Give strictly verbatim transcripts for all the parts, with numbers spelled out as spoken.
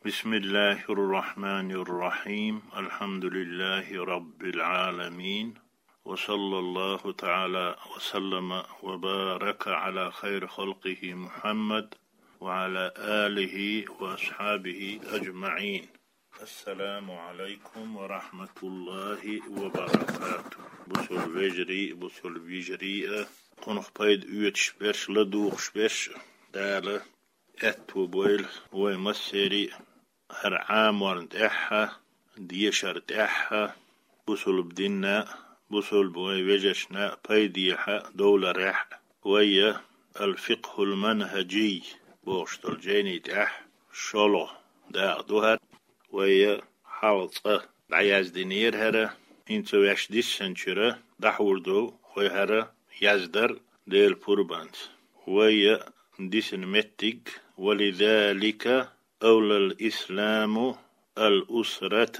بسم الله الرحمن الرحيم. الحمد لله رب العالمين. وصلى الله تعالى وسلم وبارك على خير خلقه محمد وعلى آله وأصحابه أجمعين. السلام عليكم ورحمة الله وبركاته. Бусалба вежарий, бусалба йижарий, кхунах пайда оьцуш берш, ладувгӀаш берш, Дала аьттув бойла вай массерий а хӀара Ӏаморна тӀехьа, дешар тӀехьа, бусалба динна, бусалба вай вежаршна пайдехьа довларехь. Вай а «Ал-фикъхул манхӀажий» бохуш долу жайни тӀехь шолгӀа дакъа ду хӀара. Вай а хьалха цкъа дӀаяздинера хӀара, хӀинца ваьш диссанчуьра дӀахьур ду вай хӀара яздар Делан пурбанца. Вай а дисина меттиг: «ولذلك أولى الإسلام الأسرة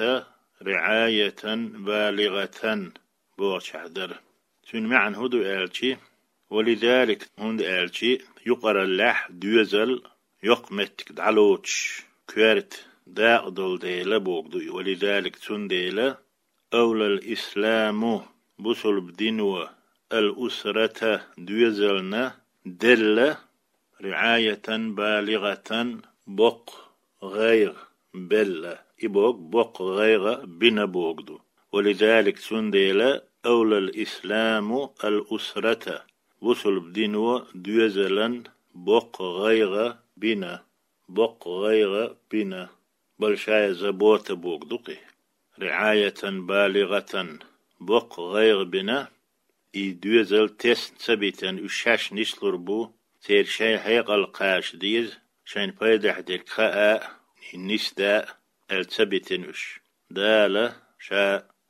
رعاية بالغة» бохучохь дара. Цуьнан маьӀна хӀун ду аьлчи: «ولذلك», хӀунда аьлчи юкъараллехь доьзал йоккха меттиг дӀалоцуш коьрта дакъа долу дела боху ду и. «ولذلك», цундела, «أولى الإسلام», бусалба дино, «الأسرة», доьзална делла, «رعاية بالغة», боккха гӀайгӀа белла. И боху боккха гӀайгӀа бина боху ду. «ولذلك», цундела, «أولى الإسلام الأسرة», бусалба дино доьзалан боккха гӀайгӀа бина, боккха гӀайгӀа бина. «Большая забота» боху ду кхин. «رعاية بالغة», боккха гӀайгӀа бина. И доьзал тесна ца битина, уьш шаьш нислур бу, церан шайн хьекъал кхача деза, шайна пайдехь дерг хаа а, и нисда а аьлла ца битина уьш. Дала Ша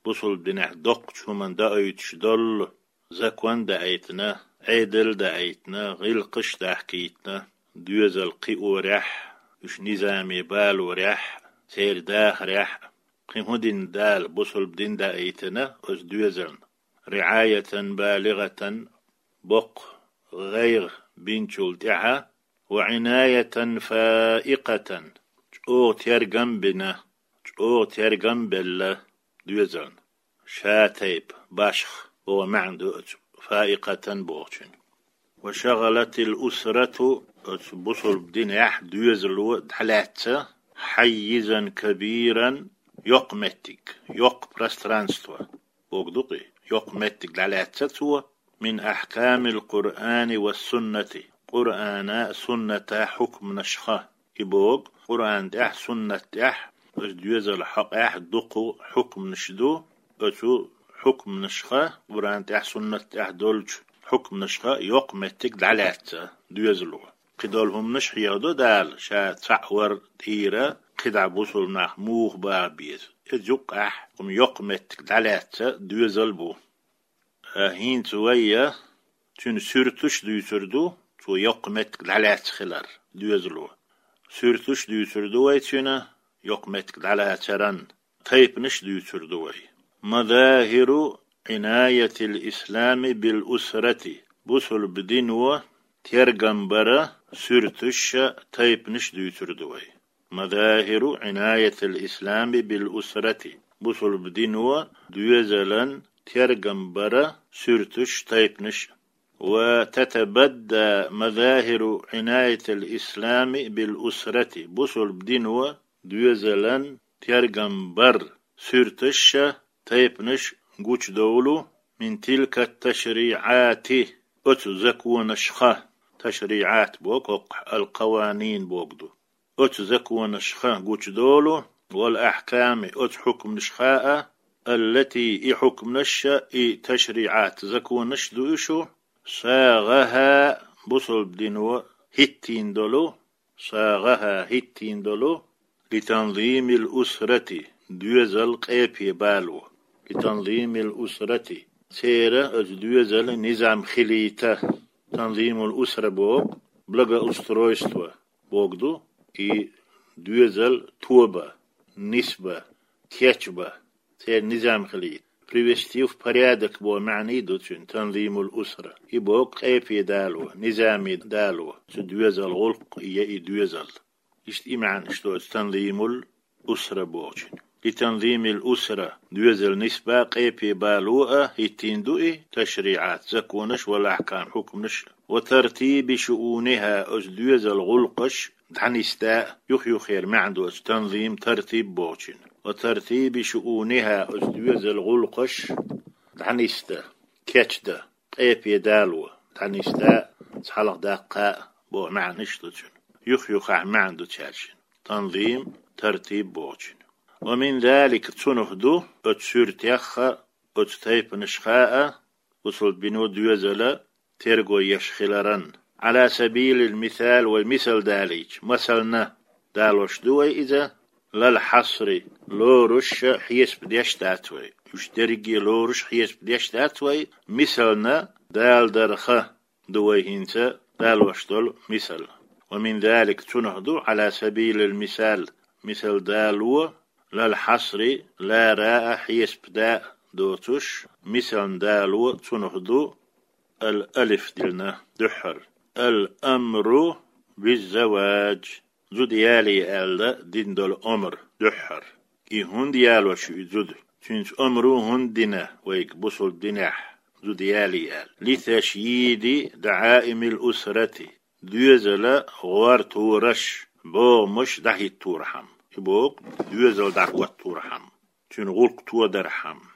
бусалба динехь доккхачу хӀуманна даийтуш долу закон даийтина, Ӏедал даийтина, гӀиллакхаш дахкийтина, доьзал кхиорехь, уьш низаме балорехь, церан дахарехь, кхин хӀун дина Дала бусалба дин даийтина оцу доьзална. «رعاية بالغة», боккха гӀайгӀа бинчул тӀаьхьа, «وعناية فائقة», чӀогӀа тергам бина, чӀогӀа тергам белла доьзална. Ша тайпа башха боху маьӀна ду оцу «фаикъатан» бохучун. «وشغلت الأسرة», оцу бусалба динехь доьзало дӀалаьцна, «حيزا كبيرا», йоккха меттиг, йоккха пространство боху ду кхин, йоккха меттиг дӀалаьцна цо, «من أحكام القرآن والسنة», Къуръана, сунната хьукманашха. И боху, Къуръан тӀехь, суннат тӀехь, оцу доьзалан хьокъехь дукха хьукманаш ду, оцу хьукманашха, Къуръан тӀехь, суннат тӀехь долчу хьукманашха йоккха меттиг дӀалаьцна доьзало. Кхидолу хӀуманаш хьехадо Дала, Ша цхьаъ вар тӀера, кхидӀа бусалба нах муха баха беза. Иза юккъехь хӀума йоккха меттиг дӀалаьцна доьзал бу. ХӀинца вай а цуьнан суьрташ дуьйцур ду, цо йоккха меттиг дӀалаьцна хилар доьзало. Суьрташ дуьйцур ду вай цуьнан, йоккха меттиг дӀалацаран тайпанаш дуьйцур ду вай. «مظاهر عناية الإسلام بالأسرة», бусалба дино тергам бара суьрташ а, тайпанаш а дуьйцур ду вай. «مظاهر عناية الإسلام بالأسرة», бусалба дино доьзалан тергам бара суьрташ, тайпанаш. «وتتبدى مظاهر عناية الإسلام بالأسرة», бусалба дино доьзалан тергам бар суьрташ а, тайпанаш а гучудовлу, «من تلك التشريعات», оцу законашха, ташриӀат боху хӀокхахь, ал-къаванин боху ду. Оцу законашха гучудолу, «والأحكام», оцу хьукманашха а, «التي», и хьукманаш а, и ташриӀат, законаш а ду уьш, «صاغها», бусалба дино хӀиттийна долу, «صاغها», хӀиттийна долу, «لتنظيم الأسرة», доьзал къепе бало, «لتنظيم الأسرة», церан оцу доьзалан низам хилийта, «танзимул усра» боху, «благоустройство» боху ду, и доьзал тоба, нисба, кечба, церан низам хилийта, привести в порядок боху маьӀна ду цуьнан, «танзимул усра». И боху къепе дало, низаме дало цу доьзалан гӀуллакх я и доьзал. Иштта и маьӀна иштта оцу танзимул усра бохучун. Ли танзимил усра, доьзал нисба, къепе бало а хӀиттийна ду и ташриӀат, законаш вал ахькам, хьукманаш а. Ва тартиби шуунихӀа, оцу доьзал гӀуллакхаш дӀанисда а, юх-юххера маьӀна ду оцу танзим, тартиб бохучун. Ва тартиби шуунихӀа, оцу доьзал гӀуллакхаш дӀанисда, кечда, къепе дало, дӀанисда а, цхьалха даккха а боху маьӀнаш ду цуьнан. Юх-юххехь маьӀна ду цаьршинна. Танзим, тартиб бохучун. Ва мин залик, цунах ду, оцу суьртех а, оцу тайпанашха а, бусалба дино доьзал а терго еш хиларан. Ӏала сабилил мисал, вай мисал далийча, масална далош ду вай иза, лал хьасри, лоруш а хьесап деш дац вай. Уьш дерриге лоруш хьесап деш дац вай, мисална далдарх ду вай хӀинца далош долу мисал. Ва мин залик, цунах ду, Ӏала сабилил мисал, мисал дало, лал хьасри, лара а хьесап да а доцуш, мисална дало цунах ду, ал алиф диллина дуьххьара. Ал амру биззаваж, зуда яле аьлла дина долу омра дуьххьара. И хӀунда ялош ю и зуда? Цуьнца омра хӀунда дина вайга бусалба динехь, зуда яле аьлла? Литашйиди даӀаимил усрати, доьзала гӀортораш, богӀамаш дӀахӀитторхьама. И боху, доьзал дӀахӀотторхьама, цуьнан гӀуллакх тодархьама.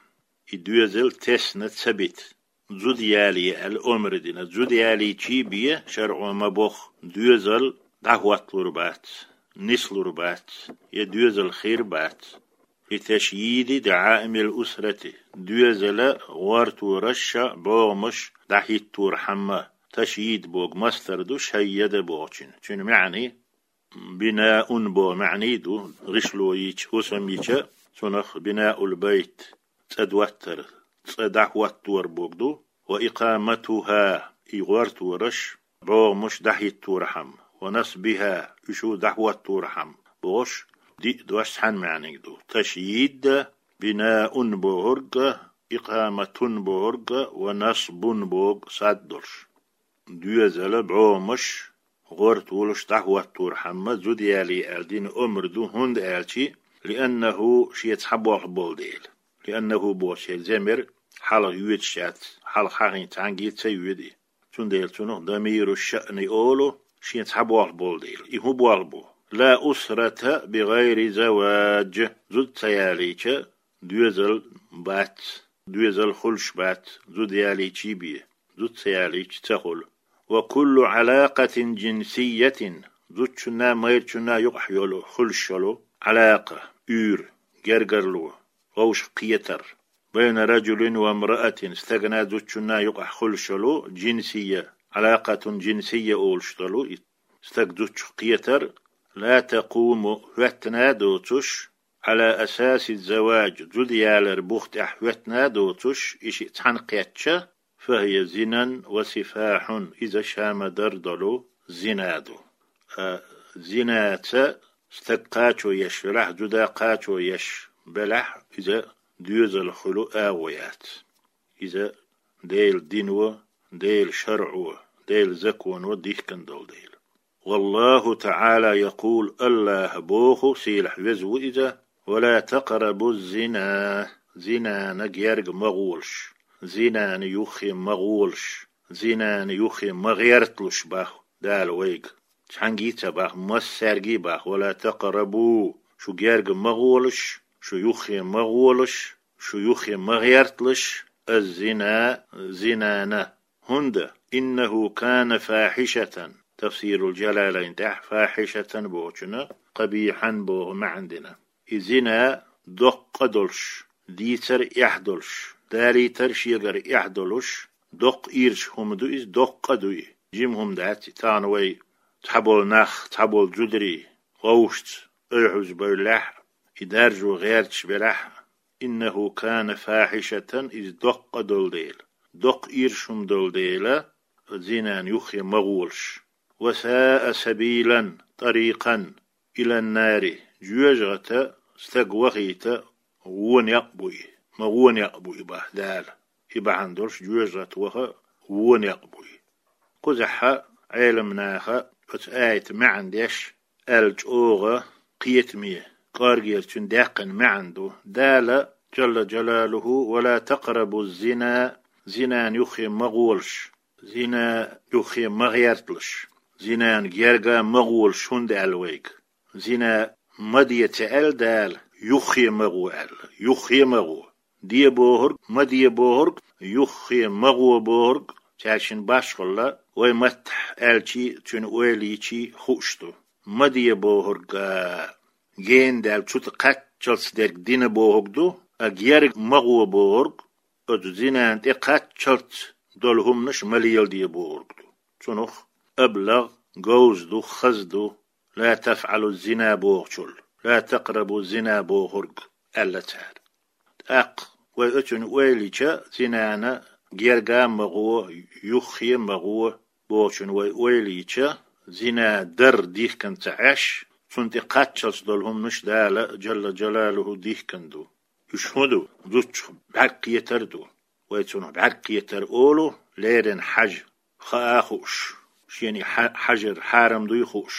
И доьзал тесна ца бита. Зуда яле аьлла омра дина. Зуда ялийча бен шарӀо ма боху, доьзал дӀахӀотталур бац, нислур бац, я доьзал хир бац. Литашйиди даӀаимил усрати, доьзала гӀортораш а, богӀамаш дӀахӀитторхьама. Ташйид боху мастар ду, шаййада бохучун. Цуьнан маьӀна бинаун боху маьӀна ду, гӀишло йича, хӀусам йича, цунах бинаул байт, цӀа доттар, цӀа дӀахӀоттор боху ду, ва икъаматуха, и гӀортораш, богӀамаш дӀахӀитторхьама, ва насбиха, уьш дӀахӀотторхьама бохуш, диъ дош цхьана маьӀниг ду. Ташйид а, бинаун бохург а, икъаматун бохург а, ва насбун боху сад долуш. Доьзала богӀамаш гӀортолуш дӀахӀотторхьама зуда яле аьлла дина омра ду, хӀунда аьлча, лианнаху, шен цхьа болх болу дела. Лианнаху бохучеран замир хьалха йоьдуш яц, хьалха хьахийна цхьаьнгге ца йоьду и. Цундела цунах дамиру шаъни олу, шен цхьа болх болу дела. И хӀун болх бу? Ла усрата бигайри заваж, зуда ца ялийча, доьзал бац, доьзал хуьлуш бац, зуда ялийча бен, зуда ца ялийча ца хуьлу. Ва куллу Ӏалакъатин жинсийятин, зудчунна, майрачунна юкъахь йолу, хуьлуш йолу, Ӏалакъа, уьйр, гергарло, вовшах кхетар. Байна раджулин ва мраатин, стагана, зудчунна юкъахь хуьлуш йолу, жинсийя, Ӏалакъатун жинсийя олуш долу и стаг зудчух кхетар, ла такъуму, хӀоьттина доцуш, Ӏала асаси заваж, зуда ялар бух тӀехь хӀоьттина доцуш, и шиъ цхьаьна кхетча, фахӀия зинан ва сифахьун, иза ша ма-дарра долу зина ду. А, зинаца стаг кхачо еш велахь, зуда кхачо еш белахь, иза доьзал хуьлу агӀо яц. Иза Делан дино, Делан шарӀо, Делан законо дихкина долу дела. Валлаху таӀала якъул, АллахӀа боху, сийлахь веза ву иза, ва ла такърабу зина, зинана герга ма гӀолаш, зинана юххе ма гӀолаш, зинана юххе ма гӀерталаш боху Дала вайга. Цхьаьнгге а ца боху, массаьрга а боху, ва ла такърабу, шу герга ма гӀолаш, шу юххе ма гӀолаш, шу юххе ма гӀерталаш, аз-зина, зинана. ХӀунда, иннаху кана фахьишатан, тафсирул Жалалайн тӀехь фахьишатан бохучунна къабихьан боху маьӀна дина. И зина доккха а долуш, дийцар а эхь долуш, далийтар шегара эхь долуш, доккха ирча хӀума ду иза, доккха а ду и. Жима хӀума дац и, тахана вай цхьаболу нах, цхьаболу зударий вовшашца ойхьуз бевллехь, и даржо гӀерташ велахь, иннаху кана фахьишатан, иза доккха а долу дела, доккха ирча хӀума долу дела, зинан юххе ма гӀолаш. Ва саа сабилан, тӀарикъан, илан-нари, жоьжахате стаг вахийта вон некъ бу и, ма вон некъ бу и боху Дала. И бахьана долуш жоьжахате ваха вон некъ бу и. Кхузахь Ӏеламнаха оцу аятан маьӀна деш, аьлла чӀогӀа кхетаме, кӀоргера цуьнан даьккхина маьӀна ду. Дала, Джалла Джалалуху: «Ва ла такърабу зина», зинан юххе ма гӀолаш, зина юххе ма гӀерталаш, зинан герга ма гӀолаш, хӀунда аьлла вайга? Зина ма де ца аьлла Дала, юххе ма гӀо аьлла, юххе ма гӀо. Де бохург, ма де бохург, юххе ма гӀо бохург, цаьршинна башхалла, вай маттахь аьлчи, цуьнан ойла йичи хууш ду. Ма де бохург, а, гена даьлла цу тӀа кхаччалц дерг дина бохург ду, а герга ма гӀо бохург, оцу зинан тӀе кхаччалц долу хӀуманаш ма леладе бохург ду. Цунах аблагӀ, говза ду, хаза ду, «Ла тафӀалу зина» бохучул, «Ла такърабу зина» бохург аьлла цара. ТӀаккха вай оцунна ойла йича, зинана герга а ма гӀо, юххе а ма гӀо бохучунна вай ойла йича, зина дар дихкина ца Ӏаш, цунна тӀе кхаччалц долу хӀуманаш Дала, Джалла Джалалуху, дихкина ду. Уьш хӀун ду? Зудчух бӀаьрг кхетар ду. Вай цунах бӀаьрг кхетар олу, леррина хьажа, хаа хууш, шена и хьа-, хьажар хьарам дуй хууш.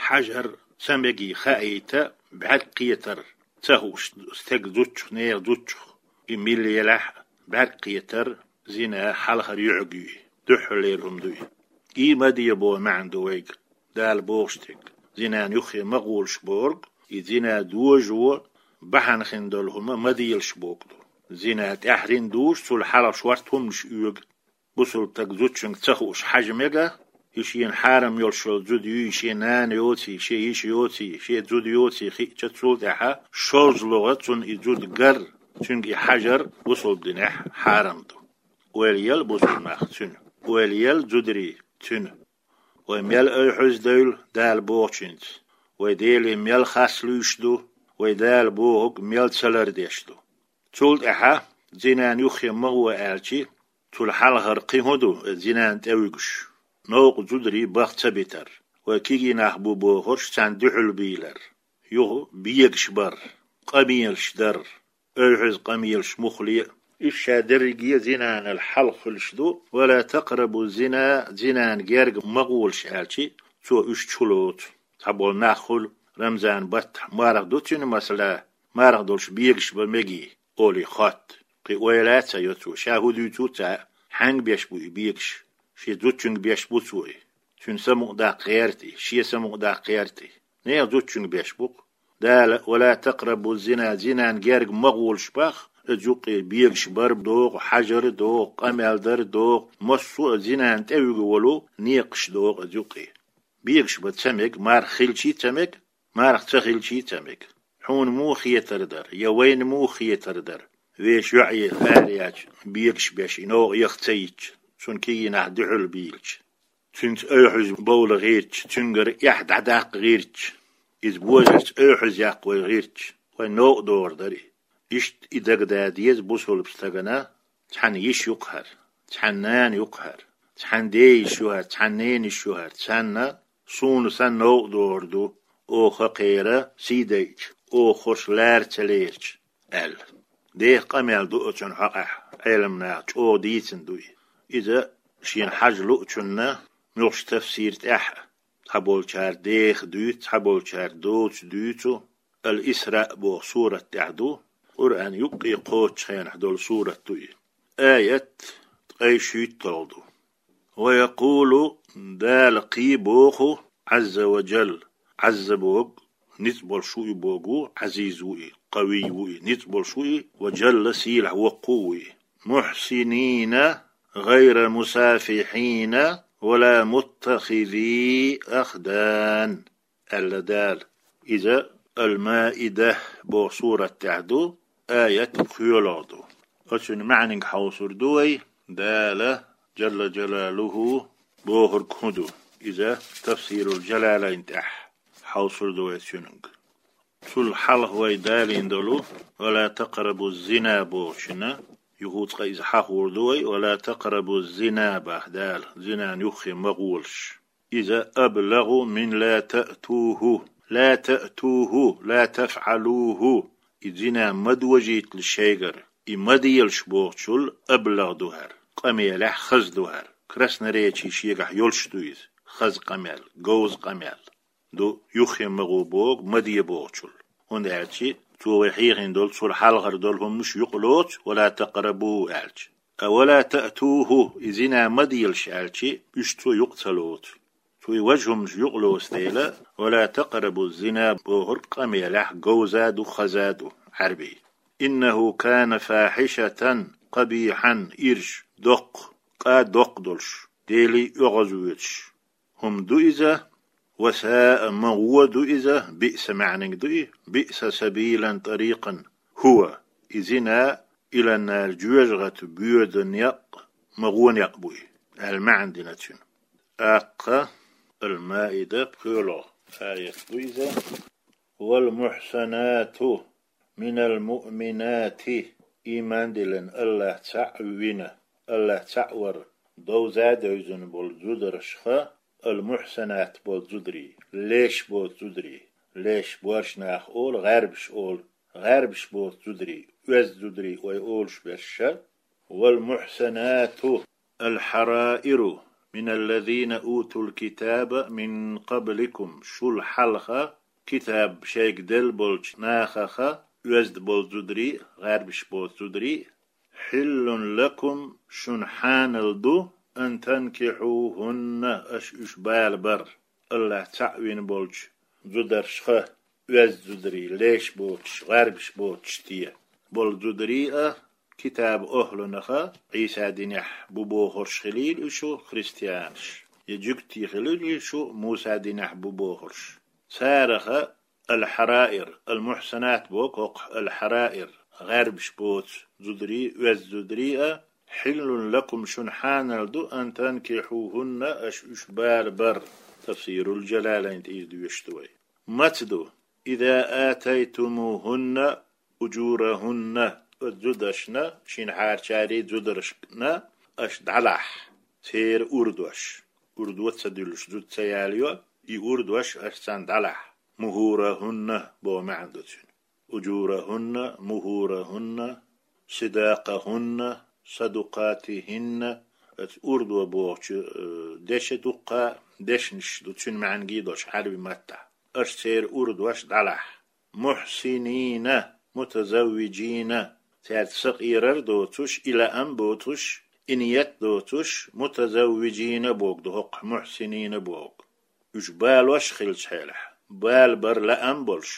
Хьажар ца мегий хаийта, бӀаьрг кхетар ца хууш, стеган зудчух, нехан зудчух и милла елахь а, бӀаьрг кхетар зина хьалхара юьхьиг юй, дуьххьарлера хӀума дуй. И ма де боху маьӀна ду вайга Дала бохуш дерг. Зинан юххе ма гӀолаш бохург, и зина дожо бахьана хин долу хӀума ма делаш бохург ду. Зина тӀаьхьарниг дужуш, цул хьалха шорта хӀуманаш оьгу. Бусалба стаг зудчуьнга ца хууш хьажа мега, и шена хьарам йолуш йолу зуда юй, шен нана йоций, шен йиша йоций, шен зуда йоций хиъча, цул тӀаьхьа шозлагӀа цунна и зуда гар, цуьнга и хьажар бусалба динехь хьарам ду. Ойла ел бусалба нах цуьнан, ойла ел зударий цуьнан. Вай мел ойхьуьздевлла Дала бохучуьнца, вай Деле мел хас луьйш ду, вай Дала бохург мел ца лардеш ду. Цул тӀаьхьа зинан юххе ма гӀо аьлчи, цул хьалхара кхин хӀун ду, зинан тӀе вуьгуш? Новкъа зударий баха ца битар, вай кегий нах бу бохурш царна дуьхьал бийлар, юха бегаш бар, къамелаш дар, ойхьуьзза къамелаш муххале а, уьш ша дерриге а зинанал хьалха хуьлуш ду. «Ва ла такърабу зина», зинан герга ма гӀолаш аьлчи, цо уьш чу лоцу. Цхьаболу нах хуьлу, Рамзан баттахь марха ду цуьнан, масала, марха долуш бегаш бан мегий, олий хотту. Кхин ойла а ца йо цо, ша хӀун дуьйцу а ца, хьаьнга беш бу и бегаш? Шен зудчуьнга беш бу цо и. Цуьнан самукъадаккха гӀерта и, шен самукъадаккха гӀерта и. Нехан зудчуьнга беш бу-кх. Дала: «Ва ла такърабу зина», зинан герга ма гӀолаш боху, иза юккъе бегаш бар догӀу, хьажар догӀу, къамел дар догӀу, массо а зинан тӀе вуьгу волу некъаш догӀу иза юккъе. Бегаш бан ца мега, марха хилчий а ца мега, марха ца хилчий а ца мега. Хьуна муха хетар дара, я вайна муха хетар дара, вешан йоӀе ара яьлча, бегаш беш и новкъа яха ца йитча, цунна кегий нах дуьхьал бийлча? Цуьнца ойхьуьзза бовла гӀиртча, цуьнгара эхь дӀадаккха гӀиртча, иза божарца ойхьуьзза яккха вай гӀиртча, вайн новкъа догӀур дара и. Иштта и дагадаа деза бусалба стагана: цхьана йиша ю-кх хӀара, цхьана нана ю-кх хӀара, цхьана ден йиша ю хӀара, цхьана ненан йиша ю хӀара, царна суна санна новкъа догӀур ду, оха кхера сий дайча, оха хӀорш лара ца лерча, аьлла. Деха къамел ду оцунна хьокъехь, Ӏеламнаха чӀогӀа дийцина ду и. Иза шена хьажа луучунна муьлххачу тафсир тӀехь а, цхьаболчара деха дуьйцу, цхьаболчара доцу дуьйцу, Ал-Исраъ боху сурат тӀехь ду, Къуръан юккъе кхочучу хенахь долу сурат ду и. Аят ткъе шийтталгӀа ду. «Ва якъулу», Дала кхин боху, Ӏазза ва Джалла, Ӏазза боху, ницкъ болуш ву и боху, Ӏазиз ву и, къавий ву и, ницкъ болуш ву и, ва Джалла, сийлахь воккха ву и. «Мухьсинина гӀайра мусафихьина ва ла муттахизи ахдан», аьлла Дала. Иза Ал-Маида боху сурат тӀехь ду, аят кхоьлгӀа ду. Оцуьнан маьӀниг хьовсур ду вай, Дала, Джалла Джалалуху, бохург хӀун ду. Иза Тафсирул Джалалайн тӀехь хьовсур ду вай цуьнга. Цул хьалха вай далийна долу «Ва ла такърабу зина» бохучунна, юха цкъа иза хьахор ду вай, «Ва ла такърабу зина» баха Дала, зинан юххе ма гӀолаш. Иза аблагӀу мин ла таътуху, ла таътуху, ла тафӀалуху. И зина ма дожийталаш шайгара, и ма делаш бохучул аблагӀ ду хӀара, къамелехь хаза ду хӀара. Красноречие шегахь йолуш ду иза, хаза къамел, говза къамел. ду юххе ма гӀо боху, ма де бохучул. ХӀунда аьлча цо вай хьехийна долу, цул хьалхара долу хӀуманаш юкъалоцу, «ولا تقربوا» аьлча. А «ولا تأتوه», и зина ма делаш аьлча, уьш цо юкъа ца лоцу. Цо и важа хӀуманаш юкъалоцу дела, «ولا تقربوا الزنا» бохург къамелехь говза ду, хаза ду, Ӏаьрбий. «إنه كان فاحشة قبيحا», ирча, доккха, къа доккха долуш, Деле оьгӀазвоьдуш хӀума ду иза. «وساء», ма гӀо ду иза, «بئس» маьӀниг ду и, «بئس سبيلا طريقا». «هو», и зина, «إلى النار», жоьжахати боьдун некъ, ма гӀо некъ бу и, аьлла маьӀна дина цуьнан. ТӀаккха Ал-Маида, пхоьалгӀа аят ду иза. «والمحصنات من المؤمنات», ийман диллина, АллахӀ цхьаъ вина, АллахӀ цхьаъ вар, довза а девзина болу зударшха, «المحصنات» болу зударий, леш боцу зударий, леш боьрша нах олу, гӀарбаш олу, гӀарбаш боцу зударий, оьзда зударий вай олуш берш, «والمحصنات الحرائر من الذين أوتوا الكتاب من قبلكم», шул хьалха китаб шайга делла болчу нахаха оьзда болу зударий, гӀарбаш боцу зударий, «حل لكم», шуна хьанал ду, «أن تنكحوهن», аша уьш бала бар, АллахӀ цхьаъ вина болчу зударшха, оьзда зударий, леш боцуш, гӀарбаш боцуш те болу зударий а, китаб охӀлунаха, Ӏийса динехь бу бохурш хилийла уьш, христианаш, я жуьгтий хилийла уьш, Муса динехь бу бохурш. Цараха «الحرائر», «المحصنات» боху хӀокху, «الحرائر», гӀарбаш боцу зударий, оьзда зударий а, «حل لكم», шуна хьанал ду, «أن تنكحوهن», аша уьш бала бар. Тафсирул Жалалайн тӀе иза доьшуш ду вай. Маца ду? «إذا آتيتموهن أجورهن», оцу зударшна, шина хьарчарий зударшна аша дӀалахь, церан урдош, урдо ца дуьллуш зуда ца ялайо, и урдош аша царна дӀалахь, «مهورهن» боху маьӀна ду цуьнан. «أجورهن», «مهورهن», «صداقهن», «صدقاتهن», оцу урдо бохучу, э, дешан дуккха дешнаш ду, цуьнан маьӀна гий долуш Ӏаьрби маттахь. Аша церан урдош дӀалахь. «محصنين», «متزوجين», цаьрца сакъерар а доцуш, и лаам а боцуш, и ният а доцуш, «متزوجين» боху ду хӀокху, «محصنين» боху. Уьш балош хилча хьелахь, бала бар лаам а болуш,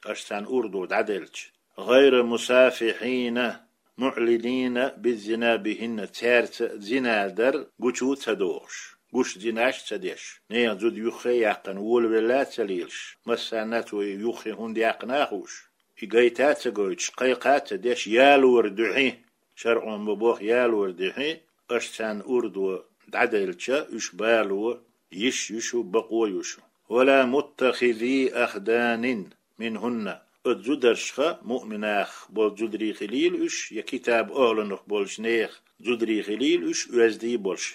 аша царна урдо дӀаделча. «غير مسافحين معلنين بالزنا بهن», цаьрца зина дар гучу а ца дохуш, гуш зинаш а ца деш, нехан зуда юххе а яьккхина, волавелла а ца лелаш, массарна а цо и юххе хӀунда яьккхина а хууш, и гайта а ца гойтуш, кхайкха а ца деш, ялоран дуьхьа, шарӀо ма боху ялоран дуьхьа, аша царна урдо дӀаделча, уьш бало йиш ю шу, бакъо ю шу. «ولا متخذي أخدان منهن», оцу зударшха, муъминах болу зударий хилийла уьш, я китаб охӀлунах болчу нехан зударий хилийла уьш, оьздий болуш,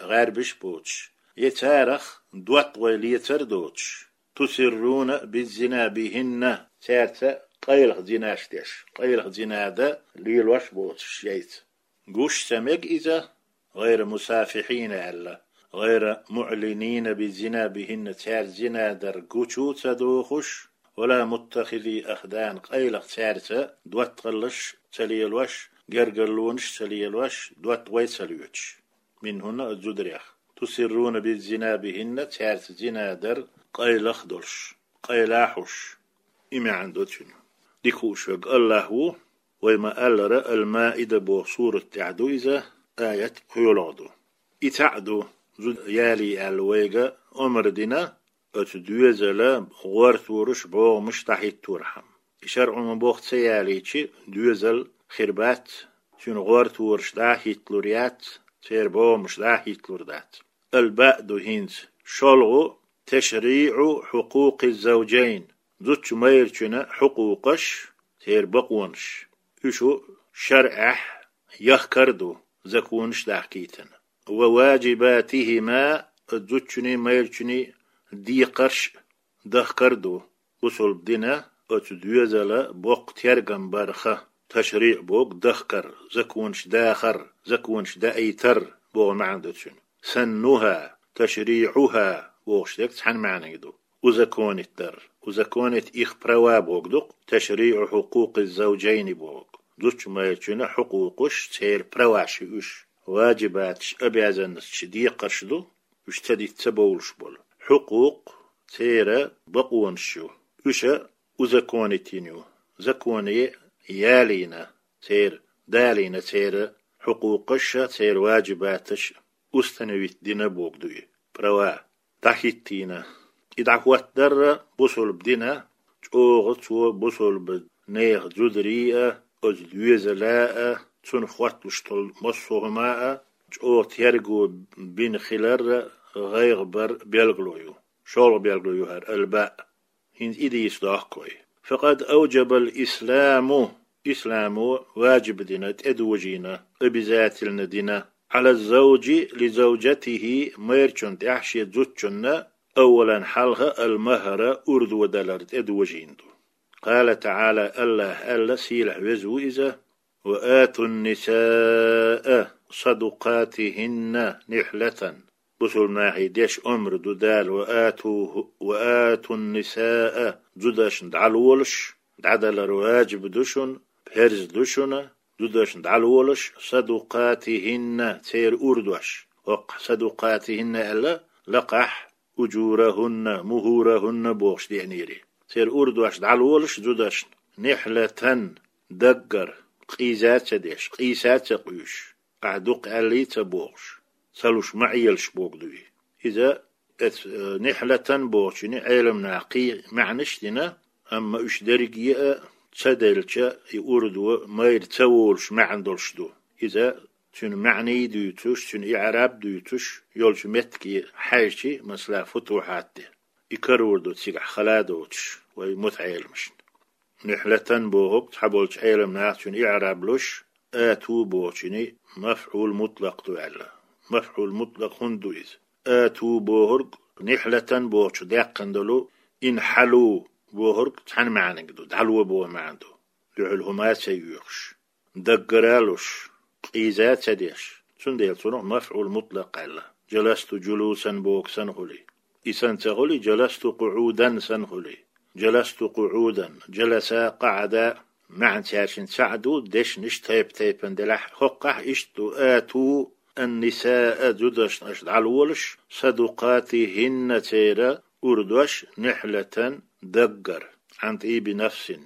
гӀаьрбиш боцуш, я царах доттагӀой лецар а доцуш. «تسرون بالزنا بهن», цаьрца къайлаха зинаш деш, къайлаха зина дан лелош боцуш шайца. Гуш ца мега иза, «гӀайра мусафихьина» аьлла, «гӀайра муӀлинина би зина бихӀинна», цаьрца зина дар гучу ца дохуш, «вала муттахизи ахдан», къайлаха цаьрца доттагӀаллаш ца лелош, гергарлонаш ца лелош, доттагӀой ца лоьцуш. МинхӀунна, а зударех. «Тусирруна би зина бихӀинна», цаьрца зина дар къайлаха долуш, къайла хьуш. И маьӀна ду цуьнан. Дика хууш верг АллахӀ ву, вай ма-аллара, Ал-Маида боху сурат тӀехь ду иза, аят пхоьалгӀа ду. И цхьаъ ду, зуда ялий аьлла вайга омра дина, оцу доьзала гӀортораш, бӀогӀамаш дӀахӀитторхьама. И шарӀо ма боху ца ялийча, доьзал хир бац, цуьнан гӀортораш дӀа а хӀитталур яц, церан бӀогӀамаш дӀа а хӀитталур дац. Ал-баъ ду хӀинца, шолгӀа, ташриӀу хьукъукъи завжайн, зудчун, майрачун хьукъукъаш, церан бакъонаш. Уьш шарӀехь яхкар а ду, законаш дахкийтина. Ва важибатихӀима, зудчуний, майрачуний декхарш а дахкар а ду. Бусалба дина оцу доьзала боккха тергам барха, ташриӀ боху дахкар, законаш дахар, законаш даийтар боху маьӀна ду цуьнан. СаннухӀа, ташриӀухӀа бохуш дерг цхьана маьӀниг ду. узаконить дар. Узаконить их права бохург ду-кх, ташриӀу хьукъукъиз-завжайни бохург. Зудчун, майрачун хьукъукъаш, церан праваш уж. Важибаташ, обязанносташ, декхарш ду, уж ца дича ца бовлуш болу. Хьукъукъ церан бакъонаш ю. Уж узаконить йина ю. Законе ялийна церан, далийна церан хьукъукъаш а, церан важибаташ а, установить дина бохург ду и, права дӀахӀиттийна. И дӀахӀоттадар а бусалба дина, чӀогӀа цо бусалба нехан зударий а, оцу доьзала а, цунах хотталуш долу массо а хӀума а чӀогӀа терго бина хилар а гӀайгӀа бар белгало ю. ШолгӀа белгало ю хӀара албаъ. ХӀинца и дийца дохку вай. Факъад авжабал исламу, исламо важиб дина, тӀедожийна, обязательно дина, Ӏала завжи ли завжатихӀи, майрачун тӀехь шен зудчунна, аввалан, хьалха, ал-магьра, урдо далар тӀедожийна ду. Къала таӀала, АллахӀа аьлла, сийлахь веза ву иза: «Ва атун-нисаа садукъатихӀинна нихьлатан». Бусалба нахе деш омра ду Дала: «Ва ату, ва атун-нисаа», зудашна дӀалолаш, дӀадалар важиб ду шуна, парз ду шуна, зудашна дӀалолаш, «садукъатихӀинна», церан урдош. ХӀокху «садукъатихӀинна» аьлла, лакхахь «ужурахӀунна», «мухӀурахӀунна» бохуш деанера. Церан урдош дӀалолаш зудашна, «нихьлатан», даггара, къийса а ца деш, къийса а ца къуьйсуш, ахь дукха аьллий а ца бохуш, ца луш ма Ӏелаш бохург ду и. Иза, эц-, э, «нихьлатан» бохучуьнан Ӏеламнаха кхин маьӀнаш а дина, амма уьш дерриге а ца делча, и урдо майра ца волуш маьӀна долуш ду. Иза цуьнан маьӀний дуьйцуш, цуьнан иӀраб дуьйцуш йолчу меттиге хьаьжча, масала, Футухьат де, и карор ду цигахь хала а доцуш вай мутаӀеламашна. «Нихьлатан» бохург цхьаболчу Ӏеламнаха цуьнан иӀраб луш, «ату» бохучуьнан мафӀул мутлакъ ду аьлла. МафӀул мутлакъ хӀунда ду иза? «Ату» бохург, «нихьлатан» бохучу даьккхина долу, «инхьалу» бохург цхьана маьӀниг ду, дӀало боху маьӀна ду. Дуьхьал хӀума а ца йоьхуш, даггара а луш, къийса а ца деш, цундела цунах мафӀул мутлакъ аьлла. «Жаласту жулусан» бохург санна хуьлий, и санна ца хуьлий, «жаласту къуӀудан» санна хуьлий. «Жаласту къуӀудан», «жаласа», «къаӀада», маьӀна цаьршиннан цхьаъ ду, дешнаш тайп-тайпана делахь а, хӀокхахь иштта ду: «Ату ан-нисаа», зудашна аша дӀалолаш, «садукъатихӀинна», церан урдош, «нихьлатан», даггара, «Ӏан тӀиби нафсин»,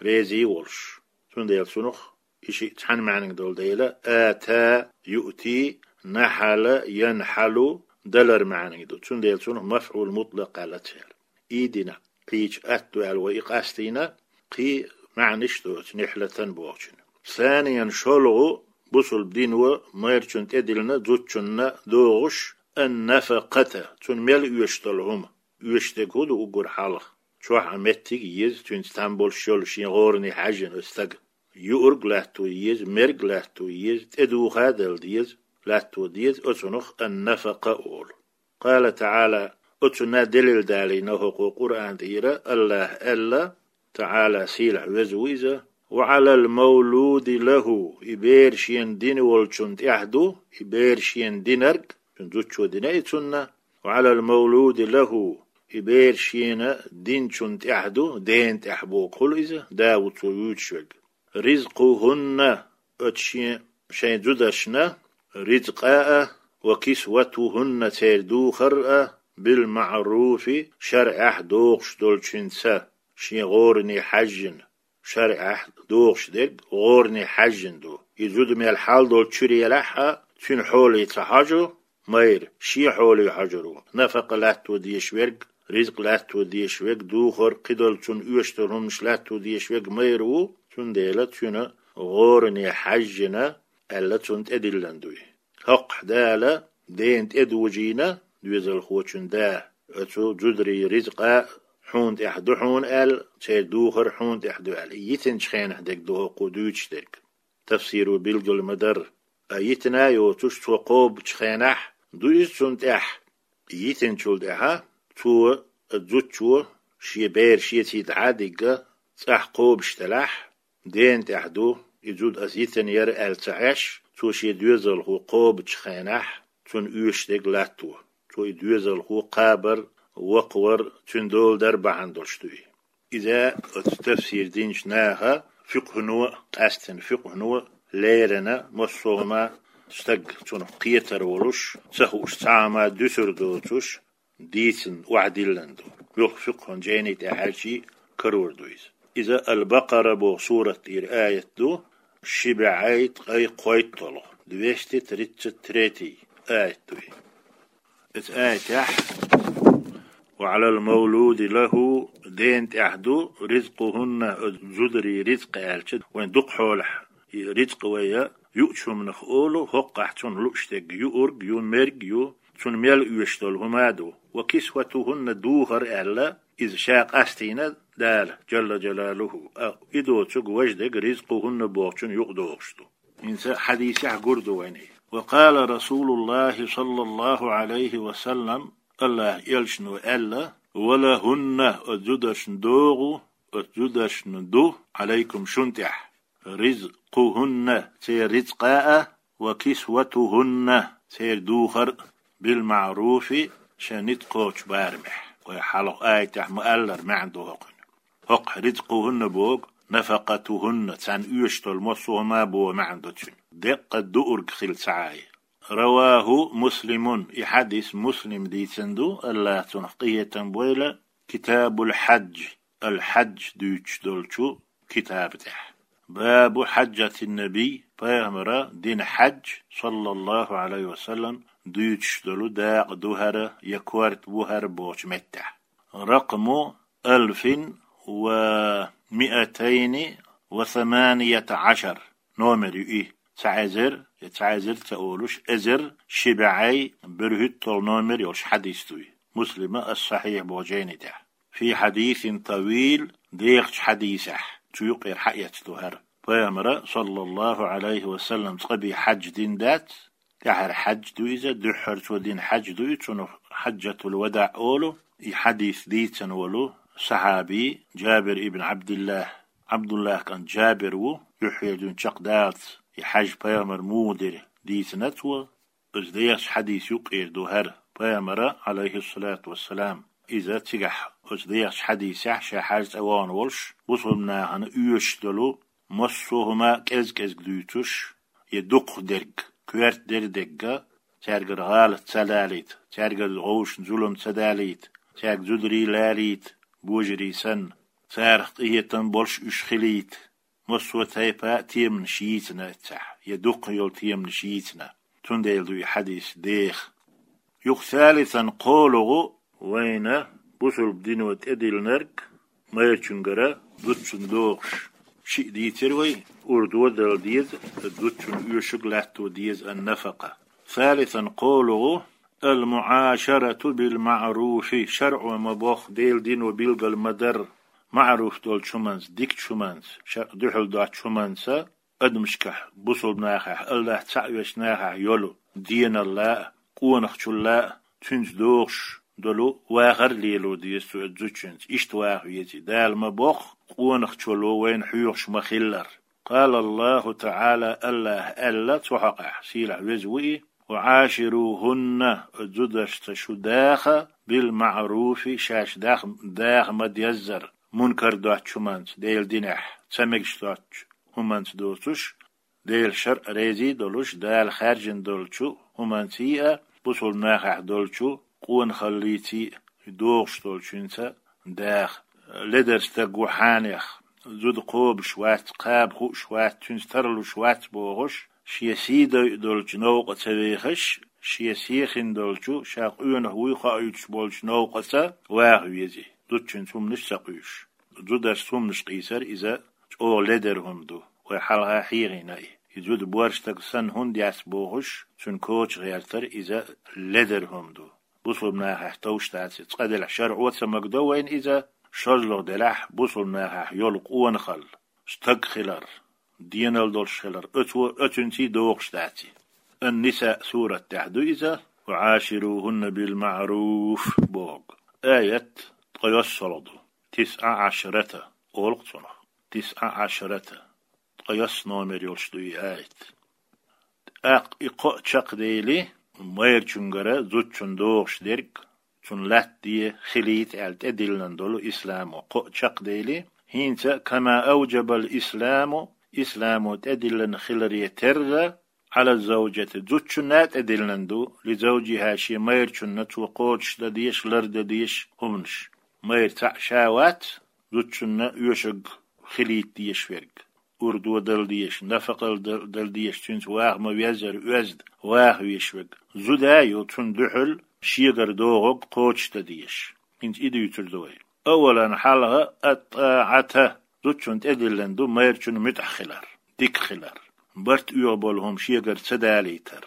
резий а волуш. Цундела цунах и шиъ цхьана маьӀниг долу дела, «ата», «юъти», «нахьала», «янхьалу» далар маьӀниг ду. Цундела цунах мафӀул мутлакъ аьлла цара. И дина кхечу атта ду аьлла вай и къастийна, кхин маьӀнаш а доцу «нихьлатан» бохучун. Саниян, шолгӀа, бусалба дино майрачунна тӀедиллина зудчунна догӀуш, «ан-нафакъата», цунна мел оьшуш долу хӀума. Оьшуш дерг хӀун ду уггар хьалха? Чохь а меттиг а еза, цуьнца там болуш йолу шен гӀоране хьаьжжина оцу стага. Юург латто еза, мерг латто еза, тӀедуха а дала деза, латто деза, оцунах ан-нафакъа олу. Къала таӀала, оцунна делил далийна хӀокху Къуръан тӀера, АллахӀа аьлла, таӀала, сийлахь веза ву иза: «Ва Ӏалал мавлуди лахӀу», и бер шена дина волчунна тӀехь ду, и бер шена динарг, цуьнан зудчо дина и цунна, «Ва Ӏалал мавлуди лахӀу», и бер шена динчунна тӀехь ду, дена тӀехь бохург хуьлу иза, да ву цо вуьйцуш верг. «РизкъухӀунна», оцу шен, шайн зудашна ризкъа а, «ва кисватухӀунна», церан духар а, «билмаӀруфи», шарӀехь догӀуш долчуьнца, шен гӀоране хьаьжжина. ШарӀехь догӀуш дерг гӀоране хьаьжжина ду. И зуда мел хьал долчуьра елахь а, цуьнан хьоле ца хьожу майра, шен хьоле хьожур ву. Нафакъа латто дезаш верг, ризкъ латто дезаш верг, духар, кхидолу цунна оьшуш долу хӀуманаш латто дезаш верг майра ву, цундела цуьнан гӀоране хьаьжжина аьлла, цунна тӀедиллина ду и. ХӀокхахь Дала дена тӀедожийна, доьзалхочун да, оцу зударийн ризкъа хьуна тӀехь ду хьуна аьлла, церан духар хьуна тӀехь ду аьлла. И йитинчу хенахь дерг ду хӀокхо дуьйцуш дерг. Тафсиро билгал ма-дарра. А йитина а йоцуш, цо кхобучу хенахь ду иза цунна тӀехь. Йитинчул тӀаьхьа цо, зудчо, шен бер шеца дӀа а дигна, цӀахь кхобуш делахь, дена тӀехь ду, и зуда ас йитина яра аьлла ца Ӏеш, цо шен доьзалхо кхобучу хенахь, цунна оьшуш дерг латто. Цо и доьзалхо кхабар, вокхавар, цуьнан дола дар бахьана долуш ду и. Иза оцу тафсир динчу наха фикъхӀано а, къаьсттина фикъхӀано а леррина, массо а хӀума стаг цунах кхетар волуш, ца хууш цхьа а хӀума дуьсур доцуш, дийцина охьадиллина ду. Муьлхха фикъхӀан жайни тӀехь хьаьжча а карор ду иза. Иза Ал-Бакъара боху сурат тӀера аят ду, ши бӀе ткъе кхойтталгӀа, двести тридцать третий аят ду и. Эцу аятехь: «Ва Ӏалал мавлуди лаху», дена тӀехь ду, «ризкъухунна», зударий рицкъ аьлча, вайн дукха хьолахь и рицкъ вай юучу хӀуманах олу, хӀокхахь цунна лууш дерг юург ю, мерг ю, цунна мел оьшуш долу хӀума а ду. «Ва кисватухунна», духар аьлла, иза ша къастийна Дала, Джалла Джалалуху, а и доцург важа дерг «ризкъухунна» бохучун юкъадогӀуш ду. ХӀинца хьадисехь гур ду вайна и. «Ва къала Расулуллахи саллаллаху Ӏалайхи ва саллам», Аллахь элчано аьлла: «Ва лахунна», оцу зударшна догӀу, оцу зударшна ду, «Ӏалайкум», шун тӀехь, «ризкъухунна», церан рицкъа а, «ва кисватухунна», церан духар а, «билмаъруфи», шайн ницкъ кхочу барамехь. Вай хьалха аятехь ма-аллара маьӀна ду хӀокхуьнан. ХӀокху «ризкъухунна» боху «нафакъатухунна», царна оьшуш долу массо а хӀума боху маьӀна ду цуьнан. Деккъа дуург хила ца Ӏа. «Раваху Муслимун», и хьадис Муслима дийцина ду, Аллахь цунах къинхетам бойла, «Китабул хьадж», Ал-Хьадж дуьйцуш долчу китаба тӀехь. «Бабу хьаджатин набий», пайхамара дина хьадж, саллаллаху Ӏалайхи ва саллам, дуьйцуш долу дакъа ду хӀара я корта бу хӀара бохучу меттехь. «Ракъму алфин ва миатайни ва саманията Ӏашар». Номер ю и. Цхьа эзар, я цхьа эзар ца олуш, эзар ши бӀе берхӀитталгӀа номер йолуш хьадис ду и. Муслима Ас-Сахьихь боху жайни тӀехь. «Фи хьадисин тавил», дехачу хьадисехь, цу юкъера хьаэцна ду хӀара. Пайхамара, саллаллаху Ӏалайхи ва саллам, цкъа бен хьадж дина дац, тӀаьхьара хьадж ду иза, дуьххьара цо дина хьадж ду и, цунах хьаджатул вадаъ олу. И хьадис дийцина волу сахьаби Джабир ибн Ӏабдиллахь, Ӏабдуллахь кӀант Джабир ву, юьххьера дуьйна чекхдаллалц и хьадж пайхамара муха дира дийцина цо. Иза дехачу хьадис юкъера ду хӀара, пайхамара, Ӏалайхиссалату вассалам, иза цигахь, оцу дехачу хьадисехь ша хьаьжцӀа вахана волуш, бусулба нахана оьшуш долу массо а хӀума кӀез-кӀезиг дуьйцуш, я дукхахдерг, коьрта дерг дерг а, цаьргара гӀалат ца далийта, цаьргара вовшашна зулам ца далийта, цаьрга зударий лалийта, божарий санна, царах къинхетам болуш уьш хилийта, массо а тайпа а теманаш йийцина эццахь, я дукха йолу теманаш йийцина. Цундела ду и хьадис деха. Юха салисан кхоалгӀа вайна бусулба дино тӀедиллинарг майрачуьнгара зудчунна догӀуш. Шиъ дийцира вай, урдо а дала деза, зудчунна оьшург латто деза ан-нафакъа. Салисан кхоалгӀа: «Ал-муӀашарату бил-маъруфи», шарӀо ма-бохху, Делан дино билгал ма-дарра, маъруф долчу хӀуманца, дикачу хӀуманца, шарӀ дуьхьал доцучу хӀуманца, адамашкахь, бусулба нахахь, Аллахь цхьаъ веш нахахь йолу деналла а, къонахчулла а, цуьнца догӀуш долу вахар а лело деза цу зудчуьнца. Иштта ваха веза и. Дала ма-бохху, къонахчоло вайна хьоьхуш ма-хиллара. Къала Аллаху ТаӀала, Аллахь аьлла цу хьокъехь, сийлахь веза ву и: «Ва Ӏаширухунна», зударшца шу даха, «бил-маъруфи», шаьш дах-, даха ма-деззара, мункар доцучу хӀуманца, Делан динехь ца мегаш доцучу хӀуманца доцуш, Делан шарӀ реза долуш, Дала хаьржина долчу хӀуманций а, бусулба нахахь долчу къонахаллиций а догӀуш долчуьнца даха. Ледар стаг ву хьенех, зуда кхобуш вац, кхаба хууш вац, цуьнца тарлуш вац бохуш, шен сий дойъу долчу новкъа ца вехаш, шен сехина долчу, ша къонах вуй хоуьйтуш болчу новкъаца ваха веза и, зудчуьнца хӀуманаш ца къуьйсуш. Зударшца хӀуманаш къийсар иза чӀогӀа ледара хӀума ду. Вай хьалха хьехийна и. И зуда боьрша стаг санна хӀунда яц бохуш, цуьнан коча гӀертар иза ледара хӀума ду. Бусулба нахахь товш дац и. Цкъа делахь шарӀо а ца магадо вайна иза, шозлагӀа делахь бусулба нахахь йолу къонахалла, стаг хилар, денал долуш хилар, оцо, оцуьнций догӀуш дац и. Ан-Ниса сурат тӀехь ду иза, «Ва Ӏаширухунна бил-маъруф» боху. Аят ткъайоьссалгӀа ду. Тисъа Ӏашрата олу-кх цунах. Тисъа Ӏашрата. Ткъайоьсна номер йолуш ду и аят. ТӀаккха и кхоъ чекхдели, майрачуьнгара зудчунна догӀуш дерг, цунна латтаде хилийта аьлла тӀедиллина долу исламо кхоъ чекхдели, хӀинца, кама авджабал исламу, исламо тӀедиллина хиларе терра, Ӏала завджати, зудчунна а тӀедиллина ду, ли завджиха, шен майрачунна цо кхочушдан дезаш, лардан дезаш хӀуманаш. Майра цхьаъ ша вац, зудчунна оьшург хилийта дезаш верг, урдо дала дезаш, нафакъал дал-, дала дезаш, цуьнца ваха ма-веззара оьзда ваха везаш верг. Зуда а ю, цунна дуьхьал шегара догӀург кхочушдан дезаш. ХӀинца и дуьйцур ду вай. Аввалан, хьалха, ат-тӀаӀата, зудчунна тӀедиллина ду майрачунна муьтӀахь хилар, дика хилар, барт оьгӀу болу хӀума шегара ца далийтар,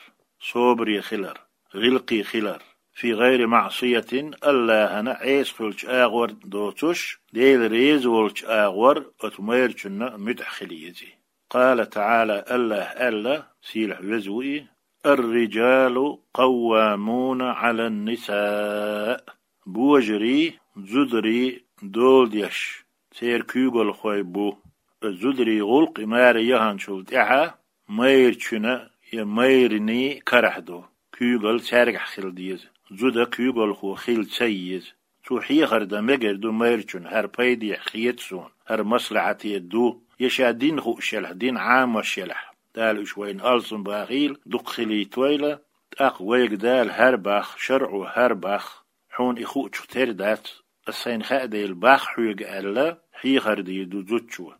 собаре хилар, гӀиллакхе хилар, фи гӀайри маӀсиятин, АллахӀана Ӏеса хуьлучу агӀор доцуш, Дела реза волчу агӀор оцу майрачунна муьтӀахь хила еза. Къала ТаӀала, АллахӀа аьлла, сийлахь веза ву и: «Ар-риджалу къаввамуна Ӏалан-нисаъ». Божарий зударий дола деш, церан куьйгалхой бу. Зударий гӀуллакх и маре яханчул тӀаьхьа майрачуьнан я майрачийн карахь ду, куьйгалла цаьргахь хила деза, зуда куьйгалхо хила ца еза. Цо хьехар дан мегар ду майрачунна: «ХӀара пайдехь хета суна, хӀара маслахьате ду», я ша дин хууш елахь, дин Ӏамош елахь. Дала уьш вайна алсам бахийла, дукха хилийтойла, тӀаккха вайга Дала хӀара бах, шарӀо хӀара бах, хьуна и хуучух тера дац, ас сайна хаьа дела бах хьоьга аьлла, хьехар дийр ду зудчо.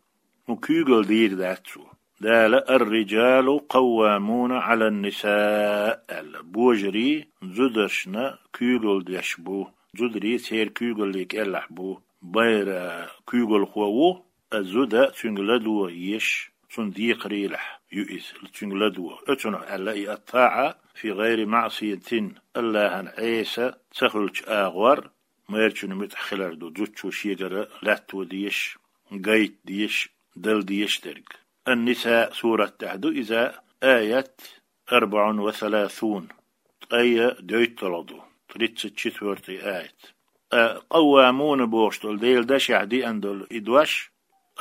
ХӀун куьйгалла дийр дац цо. Дала: «Ар-риджалу къаввамуна Ӏалан-нисаъ», аьлла. Божарий зударшна куьйгалла деш бу, зударий церан куьйгаллин кӀелахь бу. Майра куьйгалхо ву, а зуда цуьнга ладогӀа езаш, цунна декхарийлахь ю иза, цуьнга ладогӀа. Оцунах аьлла и ат-таӀа фи гӀайри маӀсиятин, АллахӀана Ӏеса ца хуьлучу агӀор, майрачунна муьтӀахь хилар ду зудчо шегара латто дезаш, гайта дезаш, дала дезаш дерг. Ан-Ниса сурат тӀехь ду иза, аят арбаӀун ва саласун, ткъе дейтталгӀа ду, тридцать четвёртый аят. А, къаввамуна бохуш долу Делан дашехь деана долу и дош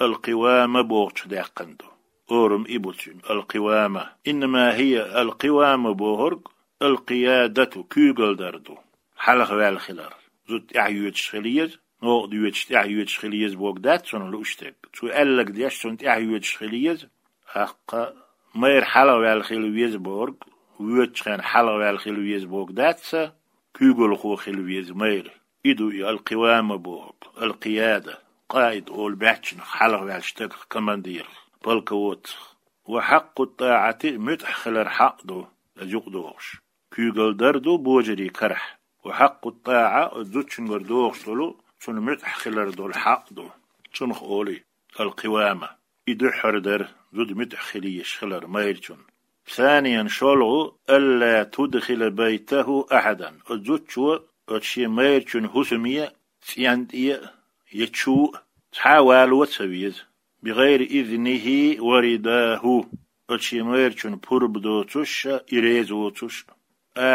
ал-къивама бохучух даьккхина ду. Орам и бу цуьнан, ал-къивама. Иннама хӀия, ал-къивама бохург, ал-къиядату, куьйгалла дар ду. Хьалхаваьлла хилар. Зуда тӀаьхьа йоьдуш хила еза, новкъа доьдуш, тӀаьхьа йоьдуш хила еза бохург дац цунах лууш дерг. Цо аьлларг деш, цунна тӀаьхьа йоьдуш хила еза. ТӀаккха майра хьалхаваьлла хила веза бохург, воьдучу хенахь хьалхаваьлла хила веза бохург дац цо, куьйгалхо хила веза майра. И ду и ал-къивама бохург, ал-къияда, къаид олу баьччанах, хьалхаваьллачу стагах, командирах, полководцах. Ва хьакъу тӀаӀати, муьтӀахь хилар хьакъ ду, иза юкъадохуш. Куьйгалла дар ду божарий карахь. Ва хьакъу тӀаӀа, оцу зудчуьнгара догӀуш долу, цунна муьтӀахь хилар долу хьакъ ду. Цунах олий ал-къивама. И дуьххьара дара зуда муьтӀахь хила езаш хилар майрачунна. Саниян, шолгӀа, алла тудхила байтаху ахьадан. Оцу зудчо оцу шен майрачун хӀусаме цӀен тӀе а, я чу а цхьа а вало ца веза. Бигайри изнихи ва ридаху. Оцу шен майрачун пурба доцуш а, и реза воцуш а.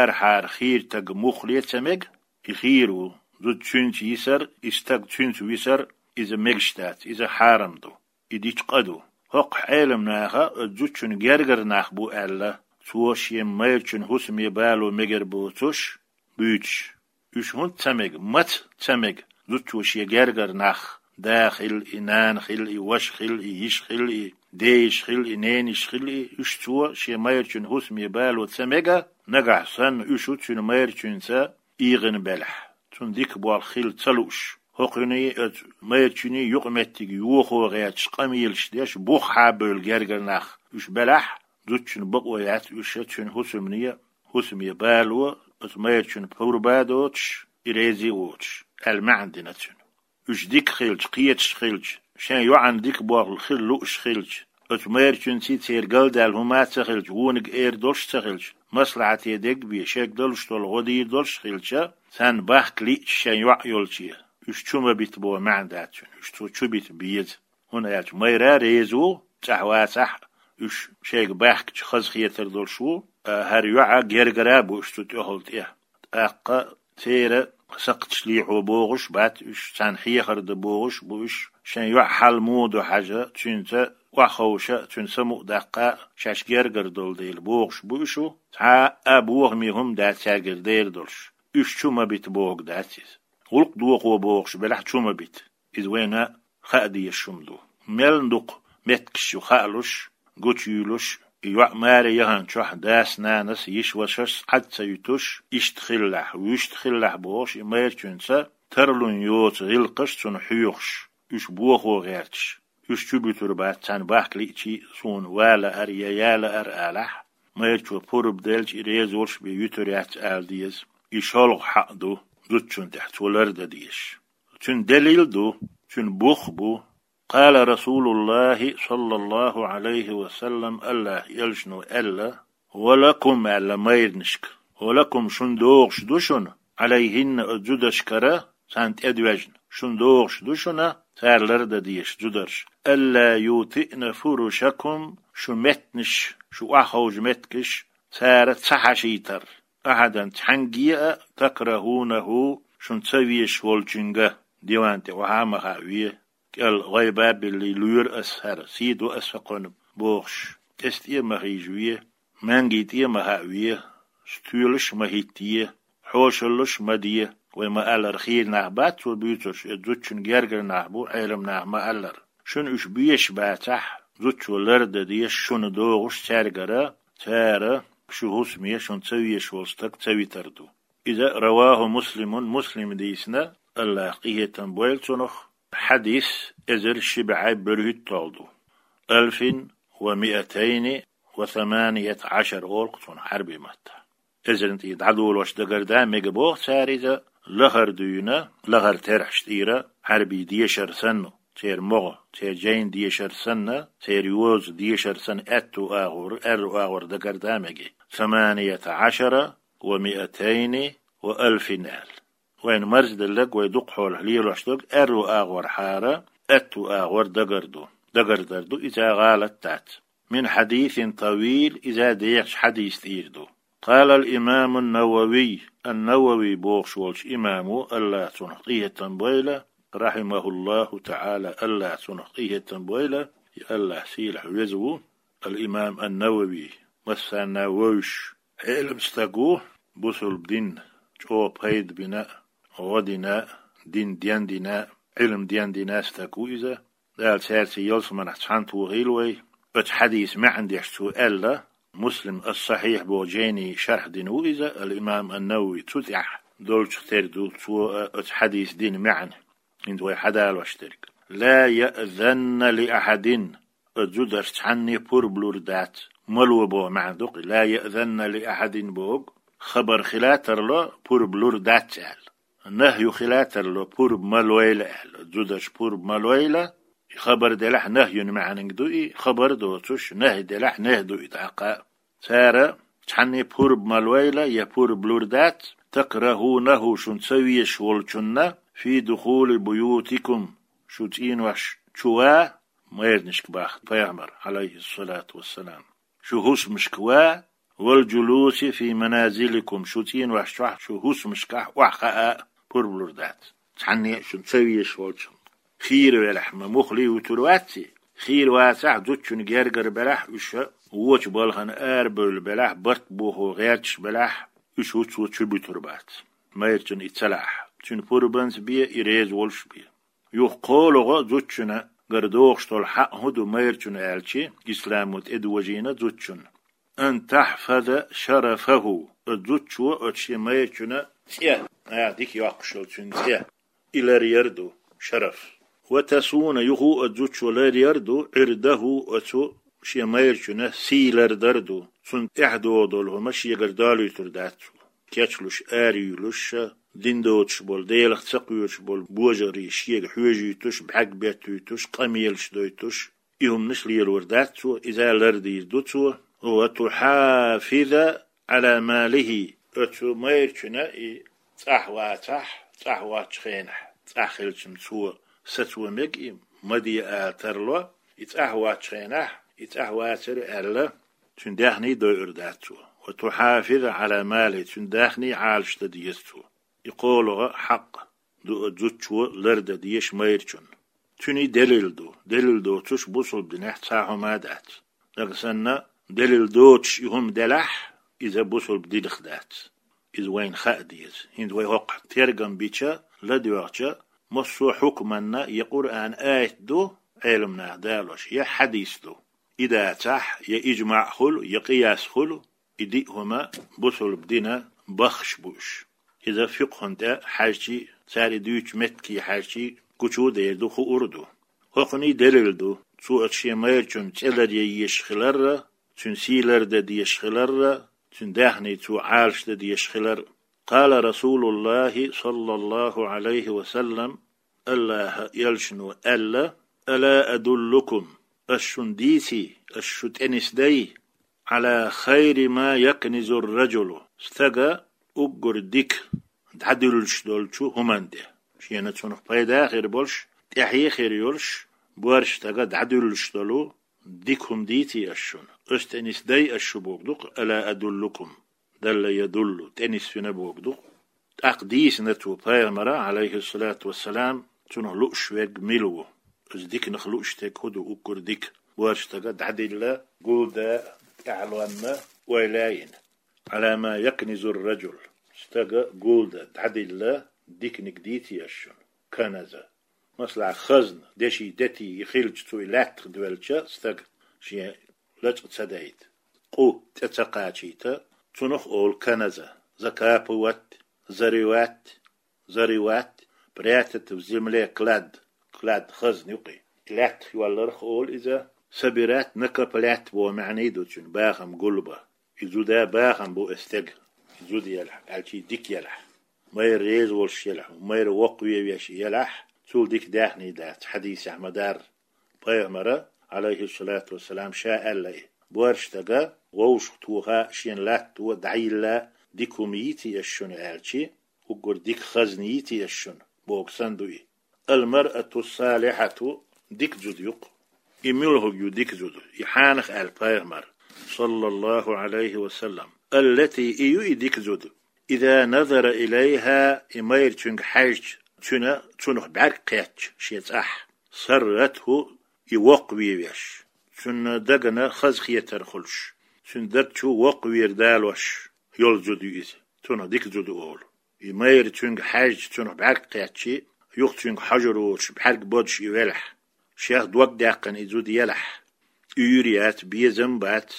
Арахьара хийра стаг муха ле ца мега, и хийра ву. Зуда цуьнца йисар, и стаг цуьнца висар, иза мегаш дац, иза хьарам ду. И дича къа ду. ХӀокху Ӏеламнаха оцу зудчун гергара нах бу аьлла, цо шен майрачун хӀусаме бало мегар боцуш, буьйцуш. Уьш хӀунда ца мега, маца ца мега, зудчо шен гергара нах, да хила и, нана хила и, ваша хила и, йиша хила и, дейиша хила и, ненайиша хила и, уьш цо шен майрачун хӀусаме бало ца мега, нагахь санна уьш цуьнан майрачуьнца ийгӀина белахь, цунна дика болх хила ца лууш, хӀокхуьний оцу майрачуьний юкъаметтиг йохо гӀерташ, къамелаш деш, бух хьабевлла гергара нах уьш белахь, зудчун бакъо яц уьш цуьнан хӀусамне, хӀусаме бало, оцу майрачун пурба а доцуш, и реза а воцуш, аьлла маьӀна дина цуьнан. Уьш дика хилча, кхеташ хилча, шайн йоӀана дика болх хила лууш хилча, оцу майрачуьнций церан галдаьлла хӀума а ца хилча, вониг эр долуш а ца хилча, маслахьате дерг а бен, шайга далуш долу гӀо дийр долуш а хилча, царна бахка лиъча шайн йоӀ йолче, уьш чу ма бита боху маьӀна дац цуьнан, уьш цо чу бита беза. ХӀунда аьлча майра реза ву, цӀахь вацахь а, уьш шайга баьхкича хаза хетар долуш ву, а хӀара йоӀа гергара а бу уьш цу тӀехула тӀе. ТӀаккха церан сакхташ лехьо бохуш а бац уьш, царна хьехар дан бохуш а бу уьш, шайн йоӀан хьал муха ду хьажа, цуьнца охьаховша, цуьнан самукъадаккха, шаьш гергара долу дела бохуш а бу уьш, цхьа а бохаме хӀума дац цаьргара дер долуш. уьш чу ма бита бохург дац иза. ГӀулакх дохо бохуш белахь, чу ма бита. Иза вайна хаа дезаш хӀума ду. Мел дукха меттигаш ю хаалуш, гучуюьйлуш, и йоӀ маре яханчохь дас-нанас, йиш-вашас Ӏад ца юьтуш, иштта хилалахь, вуьшта хилалахь бохуш, и майрачуьнца тарлун йоцу гӀиллакхаш цунна хьоьхуш, уьш бохо гӀерташ, уьш чу буьтур бац, царна бахка лиъчий, суна ва лаар я я лаар алахь, майрачо пурба делча, и реза волуш бен юьтур яц ала деза, и шолгӀа хьакъ ду зудчунна тӀехь, цо лардан дезаш. Цуьнан делил ду, цуьнан бух а бу: «Къала Расулуллахи, саллаллаху Ӏалайхи ва саллам», АллахӀан элчано аьлла: «Ва лакум», аьлла майранашка, «ва лакум», шуна догӀуш ду шуна, «Ӏалайхинна», оцу зударшкара, царна тӀедоьжна, шуна догӀуш ду шуна цара лардан дезаш, зударша: «Алла ютиъна фурушакум», шун меттанаш, шун охьаховшу меттигаш цара ца хьашийтар, «ахьадан», цхьаьнгге а, «такрахӀунахӀу», шуна ца везаш волчуьнга. Диван тӀе охьа а ма хааве, кӀел гӀайба а биллий, лоьру ас хӀара, сий ду ас хӀокхунна бохуш, кӀезиг тӀе а ма хьийжаве, маьнги тӀе а ма хааве, стоьлаш а ма хӀиттае, хьошаллаш а ма де. Вай ма-аллара, хийра нах бац цо буьйцурш, иза зудчун гергара нах бу, Ӏелам нах ма-аллара. Шуна уьш безаш бацахь, зудчо лардан дезаш шуна догӀуш цаьргара, цара шун хӀусаме шуна ца везаш волу стаг ца витар ду. Иза равахӀу Муслимун, Муслима дийцина, АллахӀа къинхетам бойла цунах, хьадис эзар ши бӀе берхӀитталгӀа ду. «Алфин ва миатайни ва саманият Ӏашар», олу-кх цунах Ӏаьрби маттахь. Эзарна тӀера дӀадолош дагардан мега боху цара иза, лахара дуьйна, лахара терахьаш тӀера, Ӏаьрби дешар санна, церан могӀа, церан жайна дешар санна, церан йоза дешар санна, аьтту агӀор, аьрру агӀор дагардан мега. «Саманият Ӏашара ва миатайни ва алфин», аьлла. Вайна марзделларг, вай дукха хьолахь лелош дерг аьрру агӀорхьара аьтту агӀор дагар ду. Дагардар ду, иза гӀалат дац. «Мин хьадисин тавил», иза дехачу хьадис тӀера ду. «Къалал имамун Нававий», ан-Нававий бохуш волчу имамо, АллахӀа цунах къинхетам бойла, рахьимахуллаху таӀала, АллахӀа цунах къинхетам бойла, и АллахӀ сийлахь веза ву, ал-имам ан-Нававий, массарна вевзаш, Ӏелам стаг ву, бусулба дин чӀогӀа пайда бина, гӀо дина, дин дендина, Ӏилма дендина стаг ву иза. Дала цаьрца ялсаманахь цхьаьнатохийла вай. Оцу хьадисан маьӀна деш цо аьлла, Муслим ас-Сахьихь боху жайни шархь дина ву иза, ал-имам ан-Навави, цу тӀехь долчух тера ду цо а оцу хьадисан дина маьӀна. ХӀинца вай хьадалош дерг: «Ла яъзанна ли ахьадин», оцу зударша цхьанне пурба лур дац. Ма ло боху маьӀна ду-кх и, «ла яъзанна ли ахьадин» бохург, хабар хила а тарло, пурба лур дац аьлла. Нахью хила а тарло, пурба ма лойла аьлла. Зударша пурба ма лойла, и хабар делахь нахьюн маьӀнаниг ду и, хабар доцуш, нахьи делахь нахьи ду и тӀаккха. Цара цхьанне пурба ма лойла я пурба лур дац, «такрахӀунахӀу», шуна ца везаш волчунна, «фи духули буютикум», шу цӀенош чу ва, майранашка боху пайхамара, Ӏалайхиссалату вассалам, шу хӀусамашка ва, «вал джулуси фи маназиликум», шу цӀенош чохь, шу хӀусамашкахь охьахаа а пурба лур дац. Цхьанне а шуна ца везаш волчунна. Хийра велахь ма муххале вуьтур вац и. Хийра вацахь, зудчун гергара белахь, уьш вочу балхана арабевлла белахь, барт бохо гӀерташ белахь, уьш хӀуццо чу буьтур бац. Майрачунна и ца лаахь, цуьнан пурбанца бе, и реза волуш бе. Юха кхоалгӀа зудчуьнгара догӀуш долу хьакъ хӀун ду майрачунна аьлча, исламо тӀедожийна зудчунна: «Ан тахьфаза шарафахӀу», оцу зудчо оцу шен майрачун цӀе, а, дика йоккхуш йолу цуьнан цӀе, и ларъяр ду, шараф. «Ва тасуна», юха оцу зудчо ларъяр ду, «ӀирдахӀу», оцу шен майрачун сий лардар ду, цунна тӀаьхьа догӀу долу хӀума шегара долуьйтур дац цо. Кечлуш, араюьйлуш, дин доцуш болу, Делах ца кхоьруш болу божарий шега хьоьжуьйтуш, бӀаьрг беттуьйтуш, къамелаш дойтуш, и хӀуманаш лелор дац цо, иза лардийр ду цо. «Ва тухьафиза Ӏала малихӀи», оцу майрачун и цӀахь вацахь, цӀахь воцчу хенахь, цӀахь хилча-м цо сацо мега и, ма де ала тарло, и цӀахь воцчу хенахь, и цӀахь вацара аьлла, цуьнан даьхний дойур дац цо. «Ва тухьафиза Ӏала малихӀи», цуьнан даьхний Ӏалаш дан деза цо. И кхоалгӀа хьакъ ду оцу зудчо лардан дезаш майрачунна. Цуьнан делил ду. Делил доцуш бусулба динехь цхьа хӀума а дац. Дага санна, делил доцуш и хӀума делахь, иза бусулба динах дац. Иза вайна хаа деза. ХӀинца вай хӀокху тергам бича, ладоьгӀча, массо а хьукманна я Къуръан аят ду, Ӏеламнаха далош, я хьадис ду. И дацахь, я ижмаӀ хуьлу, я къияс хуьлу, и диъ хӀума бусулба дина баххаш бу уьш. Иза фикъхӀун тӀе хьаьжчий, цара и дуьйцучу метте хьаьжчий гучу а дер ду, хуур а ду. ХӀокхуний делил ду, цо оцу шен майрачун цӀе ларъян езаш хиларра, цуьнан сий лардан дезаш хиларра, цуьнан даьхний цо Ӏалашдан дезаш хилар. Къала Расулуллахи, саллаллаху Ӏалайхи ва саллам, Аллаха элчано аьлла: «Ала адуллукум, ас шуна дийций, ас шу тӀенисдай, Ӏала хайри ма якнизур раджулу, стага уггар дика дӀадуьллуш долчу хӀуманна тӀе, шена цунах пайда хир болуш, тӀаьхье хир йолуш, боьрша стага дӀадуьллуш долу дика хӀума дийций ас шуна, ас тӀенисдай ас шу боху дукха, ала адуллукум, далла ядуллу, тӀенисвина боху дукха». ТӀаккха дийцина цо пайхамара, Ӏалайхиссалату вассалам, цунах лууш верг мила ву. Иза диканах лууш стаг хӀун ду, уггар дика, боьрша стага дӀадилла, гулда, тӀаьхьалонна, ойла йина. Ӏала ма якнизур раджул, стага гулда, дӀадилла, диканиг дийций ас шуна, каназа. Масала, хазна, деши, дети и хилча, цу и лаьттах девлча стаг шен лачкъа ца дайта, къу тӀе ца кхачийта, цунах олу каназа, закапывать, зарывать, зарывать, прятать в земле клад, клад хазна юкъе. И лаьттах йолларх олу иза, собирать, накоплять боху маьӀний ду цуьнан, бахам гулба. И зуда бахам бу и стеган, и зуда елахь, аьлчий дика елахь. Майра реза волуш елахь, майра воккхаве веш елахь, цул дика даьхний дац, хьадисехь ма-дарра. Пайхамара, Ӏалайхиссалату вассалам, ша аьлла и: «Боьрша стага вовшах тоха, шена латто, дӀайилла, дика хӀума йийций ас шуна», аьлчи, уггар дика хазна йийций ас шуна, боху санна ду и. Ал-маръату салихьату, дика зуда ю-кх. И муьлхарг ю дика зуда? И хьанах аьлла пайхамара, саллаллаху Ӏалайхи ва саллам. Аллати, и ю и дика зуда. Иза назара илайхьа, и майра цуьнга хьаьжча, цуьнан, цунах бӀаьрг кхетча шен цӀахь, сарратху, и воккхаве веш, цуьнан дагна хазахетар хуьлуш, цуьнан даг чу воккхавера далош йолу зуда ю иза, цунах дика зуда олу. И майра цуьнга хьаьжча, цунах бӀаьрг кхетчий, юха цуьнга хьожур воцуш, бӀаьрг бодуш и велахь, шех дог даьккхина и зуда елахь, уьйр яц, безам бац,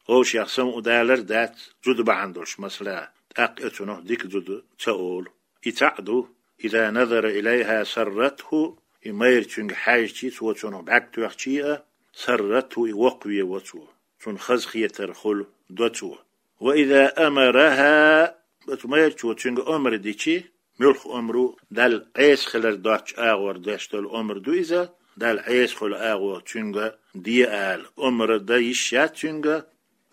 вовшех самукъадалар дац, зуда бахьана долуш, масала, тӀаккха и цунах дика зуда ца олу. И цхьаъ ду: иза назара илайхьа сарратху, и майра цуьнга хьаьжчий, цо цунах бӀаьрг тоьхчий а, сарратху, и воккхаве во цо, цунна хазахетар хуьлу, до цо. Ва иза амарахьа, оцу майрачо цуьнга омра дичи, муьлхха омра ю, Далла Ӏеса хилар доцчу агӀор деш долу омра ду иза, Далла Ӏеса хуьлу агӀо цуьнга де ала, омра дан йиш яц цуьнга,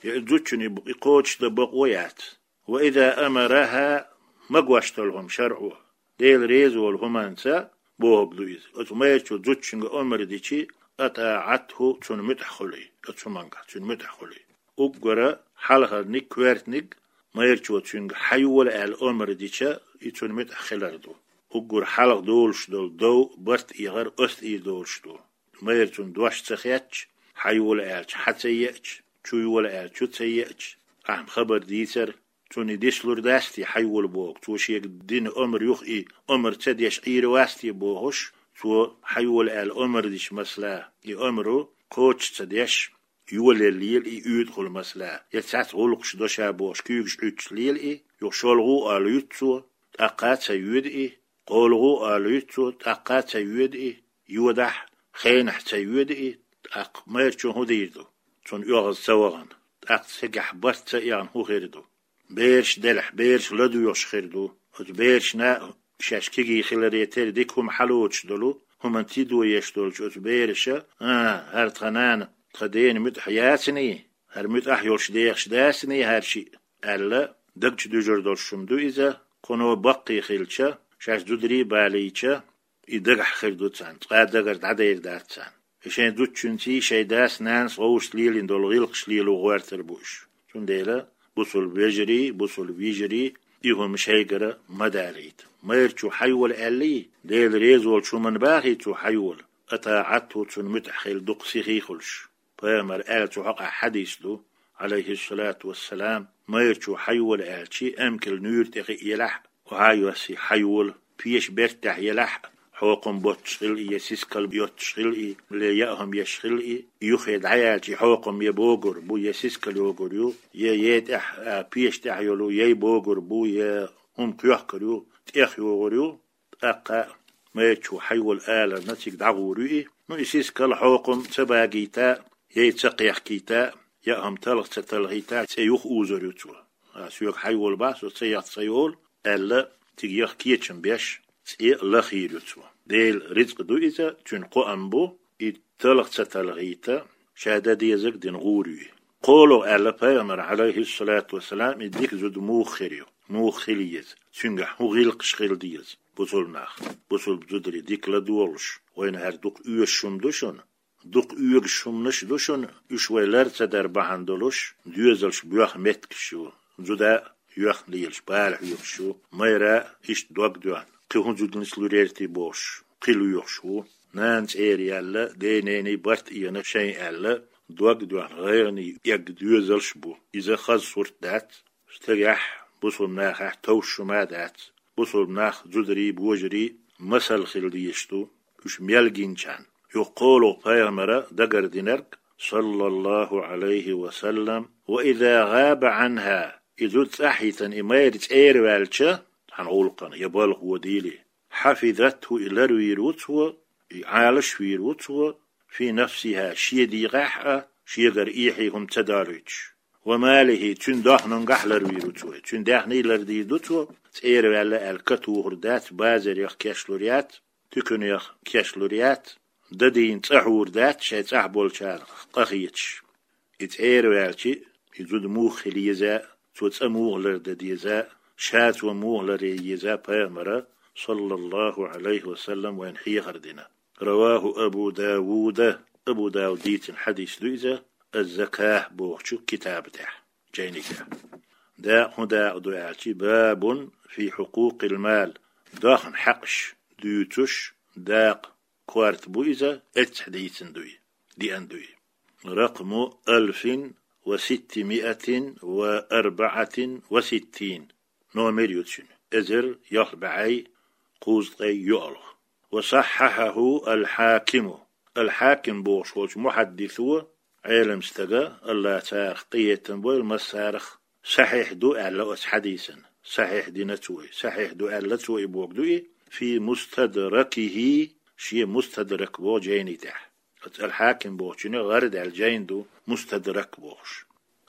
я и зудчунна и кхочушдан бакъо яц. Ва иза амарахьа, магош долу хӀума шарӀо, Дела реза волу хӀуманца бохург ду иза. Оцу майрачо зудчуьнга омра дичи, атаӀатху, цунна муьтӀахь хуьлий, оцу хӀуманга цуьнан муьтӀахь хуьлий. Уггара хьалхарниг, коьртаниг, майрачо цуьнга хьайола аьлла омра дича, и цунна муьтӀахь хилар ду. Уггар хьалха долуш долу дов, барт эгӀар оцу тӀера долуш ду. Майра цунна дош ца хетча, хьайола аьлча, хьа ца еача, чу йола аьлча, чу ца еача, ахьа хабар дийцар, цунна и дислур дац те хьайола боху, цо шега дина омра юха и омра ца деш Ӏийр вац те бохуш, цо хьайола аьлла омра дича, масала, и омра кхочуш ца деш, йолаелла лела и уьйтӀахула, масала, я цхьацца гӀуллакхаш до ша бохуш, куьйгаш Ӏуьттуш лела и, юха шолгӀа а ала юьту цо, тӀаккха а ца йоьду и, кхоалгӀа а ала юьту цо, тӀаккха а ца йоьду и, йодахь, хенахь ца йоьду и, тӀаккха майрачо хӀун дийр ду? Цунна оьгӀаз ца вахана, тӀаккха цигахь барт ца эгӀна хӀун хир ду? Бераш делахь, бераш ладоьгӀуш хир ду. Оцу берашна шаьш кегий хиларе терра дика хӀума хьалоцуш долу, хӀуманна тидо еш долчу оцу бераша: «А, хӀара тхан нана, тхан дена муьтӀахь яцаний? ХӀара муьтӀахь йолуш дехаш дацаний хӀара шиъ?» аьлла, даг чу дуьжур долуш хӀума ду иза, кхуно баккхий хилча, шаьш зударий балийча, и дагахь хир ду царна, цкъа а дагара дӀадер дац царна. И шайн зудчуьнций, шайн дас-нанас вовшашца лелийна долу гӀиллакхаш лело гӀоьртар бу уьш. Цундела, бусулба вежарий, бусулба йижарий, и хӀума шайгара ма далийта. Майрачо хьайола аьллий, Дела реза волчу хӀуманна бахий цо хьайола, атаӀатху, цунна муьтӀахь хила дукха сихий хуьлуш. Пайхамара аьлла цу хьокъехь хьадис ду: Ӏалайхиссалату вассалам, майрачо хьайола аьлча, амкал нуьйра тӀе хи елахь, хьайоссий хьайола, пеша бертахь елахь, хьокхам боццуш хила и, я сискал йоццуш хила и, я яа хӀума еш хила и, юххе дӀаяьлча, хьокхам я богур бу, я сискал йогур ю, я е тӀехь, а, пеша тӀехь йолу яй богур бу, я хӀума кхоьхкур ю, тӀех йогӀур ю, тӀаккха майрачо хьайола аларна цига дӀагӀур ю и. Ну, и сискал хьокхам ца багийта, яй ца кхехкийта, яа хӀума талха ца талхийта, цӀе юха узур ю цо. А, соьга хьайола бах, со ца яхта ца йолу, аьлла, цига яха кечам беш, цӀе лахийр ю цо. Делан рицкъ ду иза, цуьнан кхоам бу, и талха ца талхийта, ша дан дезарг дина гӀур ю и. КхоалгӀа аьлла пайхамара, Ӏалайхиссалату вассалам, и дика зуда муха хир ю, муха хила еза, цуьнгахь хӀун гӀиллакхаш хила деза бусулба нах, бусулба зударий дика ладогӀалуш, вайна хӀара дукха оьшуш хӀума ду шуна, дукха оьгуш хӀуманаш ду шуна, уьш вай лар ца дар бахьана долуш, доьзалш боьха меттигаш ю, зуда йоьхна лелаш бала хьоьхуш ю, майра иштта дог доьхна, кхин хӀун зуда нислур яра те бохуш, кхин лоьхуш ву. Нана цӀера яьлла, ден-нений барт а йина шайн аьлла, дог доьхна гӀайгӀане эгна доьзалш а бу. Иза хаза сурт дац, стагехь, бусулба нахахь товш хӀума а дац. Бусулба нах, зударий, божарий масал хила дезаш ду, уьш мел гинчарна. Юха кхоалгӀа пайхамара дагардинарг, саллаллаху Ӏалайхи ва саллам: «Ва иза гӀаба Ӏанхьа», и зуда цӀахь йитина, и майра цӀера ваьлча, цхьана гӀуллакхана я балха водийла, «хьафизатху», и ларвийр ву цо, и Ӏалашвийр ву цо, «фи нафсихьа», шен дегӀахь а, шегара эхье хӀума ца далуьйтуш. «Ва малихьи», цуьнан даьхнигахь ларвийр ву цо, цуьнан даьхни лардийр ду цо, цӀера ваьлла аьлла катухур дац, базарех кечлур яц, туьканех кечлур яц, дадийна цӀа хьур дац, шайн цӀахь болчарах къахеташ. И цӀера ваьлча, и зуда муха хила еза, цо цӀа муха лардан деза, ша цо муха ларъян еза пайхамара, саллаллаху Ӏалайхи ва саллам, вайна хьехар дина. Раваху Абу Давуда, Абу Давуда дийцина хьадис ду иза, «Аз-заках» бохучу китаба тӀехь, жайни тӀехь. Дакъа хӀун дакъа ду аьлча, «бабун фи хьукъукъил мал», даьхни хьакъаш дуьйцуш дакъа, корта бу иза, эццахь дийцина ду и, диъна ду и. «Ракъму алфин ва ситтимиатин ва арбаатин ва ситтин». Номер ю цуьнан: эзар ялх бӀе кхузткъе йоьалгӀа. «Ва саххьахьаху ал-Хьакиму». Ал-Хьаким бохуш волчу мухьаддисо, Ӏелам стага, АллахӀа царах къинхетам бойла массарах, сахьихь ду аьлла оцу хьадисан. Сахьихь дина цо и. Сахьихь ду аьлла цо и боху ду и, «фи мустадракихи», шен Мустадрак боху жайни тӀехь. Оцу ал-Хьаким бохучуьнан гӀара даьлла жайн ду Мустадрак бохуш.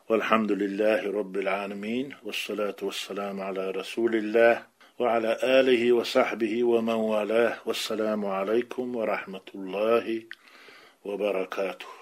والحمد لله رب العالمين، والصلاة والسلام على رسول الله وعلى آله وصحبه ومن والاه، والسلام عليكم ورحمة الله وبركاته.